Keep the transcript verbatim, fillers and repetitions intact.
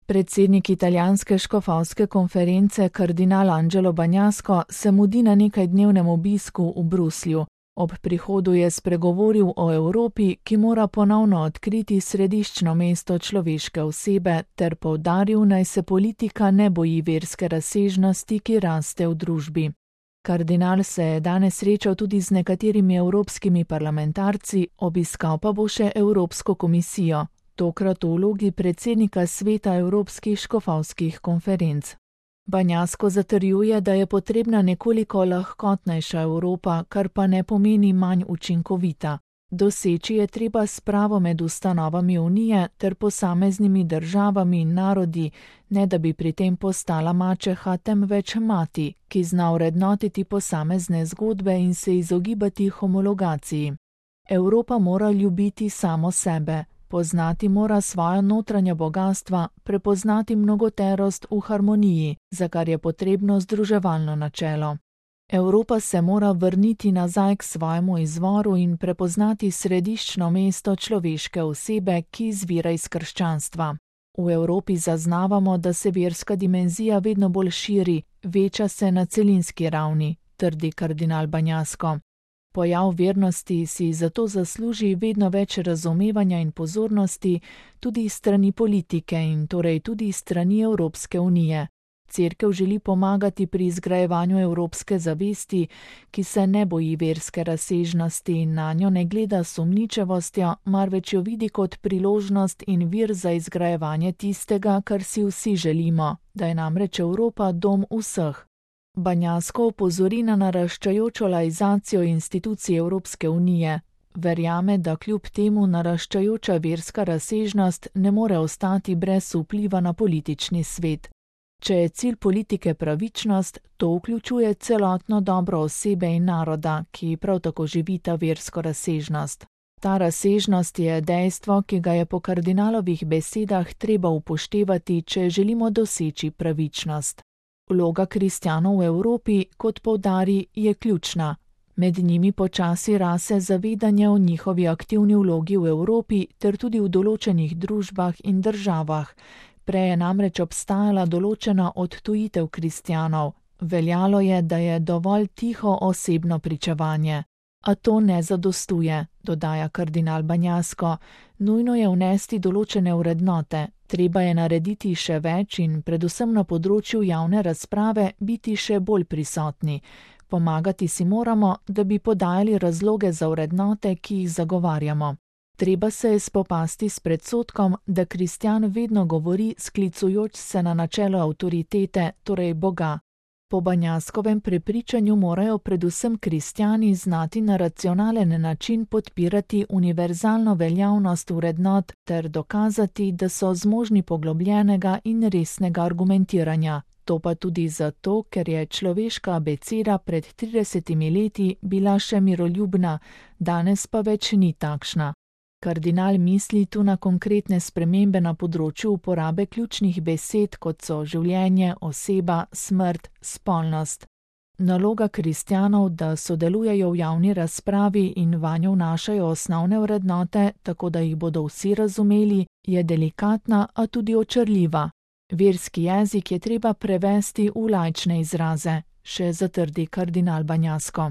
Predsednik italijanske škofovske konference kardinal Angelo Bagnasco se mudi na nekajdnevnem obisku v Bruslju. Ob prihodu je spregovoril o Evropi, ki mora ponovno odkriti središčno mesto človeške osebe, ter poudaril, naj se politika ne boji verske razsežnosti, ki raste v družbi. Kardinal se je danes srečal tudi z nekaterimi evropskimi parlamentarci, obiskal pa bo še Evropsko komisijo, tokrat v vlogi predsednika sveta evropskih škofovskih konferenc. Bagnasco zatrjuje, da je potrebna nekoliko lahkotnejša Evropa, kar pa ne pomeni manj učinkovita. Doseči je treba spravo med ustanovami Unije ter posameznimi državami in narodi, ne da bi pri tem postala mačeha, temveč mati, ki zna vrednotiti posamezne zgodbe in se izogibati homologaciji. Evropa mora ljubiti samo sebe. Poznati mora svoja notranja bogastva, prepoznati mnogoterost v harmoniji, za kar je potrebno združevalno načelo. Evropa se mora vrniti nazaj k svojemu izvoru in prepoznati središčno mesto človeške osebe, ki izvira iz krščanstva. V Evropi zaznavamo, da se verska dimenzija vedno bolj širi, veča se na celinski ravni, trdi kardinal Bagnasco. Pojav vernosti si zato zasluži vedno več razumevanja in pozornosti tudi strani politike in torej tudi strani Evropske unije. Cerkev želi pomagati pri izgrajevanju evropske zavesti, ki se ne boji verske razsežnosti in nanjo ne gleda s sumničavostjo, marveč jo vidi kot priložnost in vir za izgrajevanje tistega, kar si vsi želimo, da je namreč Evropa dom vseh. Bagnasco opozori na naraščajočo laizacijo institucij Evropske unije. Verjame, da kljub temu naraščajoča verska razsežnost ne more ostati brez vpliva na politični svet. Če je cilj politike pravičnost, to vključuje celotno dobro osebe in naroda, ki prav tako živita versko razsežnost. Ta razsežnost je dejstvo, ki ga je po kardinalovih besedah treba upoštevati, če želimo doseči pravičnost. Vloga kristjanov v Evropi, kot poudari, je ključna. Med njimi počasi rase zavedanje o njihovi aktivni vlogi v Evropi ter tudi v določenih družbah in državah. Prej je namreč obstajala določena odtujitev kristjanov. Veljalo je, da je dovolj tiho osebno pričevanje. A to ne zadostuje, dodaja kardinal Bagnasco. Nujno je vnesti določene vrednote. Treba je narediti še več in predvsem na področju javne razprave biti še bolj prisotni. Pomagati si moramo, da bi podajali razloge za vrednote, ki jih zagovarjamo. Treba se je spopasti s predsodkom, da kristjan vedno govori sklicujoč se na načelo avtoritete, torej Boga. Po Bagnascovem prepričanju morajo predvsem kristjani znati na racionalen način podpirati univerzalno veljavnost vrednot ter dokazati, da so zmožni poglobljenega in resnega argumentiranja. To pa tudi zato, ker je človeška abeceda pred tridesetimi leti bila še miroljubna, danes pa več ni takšna. Kardinal misli tu na konkretne spremembe na področju uporabe ključnih besed, kot so življenje, oseba, smrt, spolnost. Naloga kristjanov, da sodelujejo v javni razpravi in vanjo vnašajo osnovne vrednote, tako da jih bodo vsi razumeli, je delikatna, a tudi očarljiva. Verski jezik je treba prevesti v laične izraze, še zatrdi kardinal Bagnasco.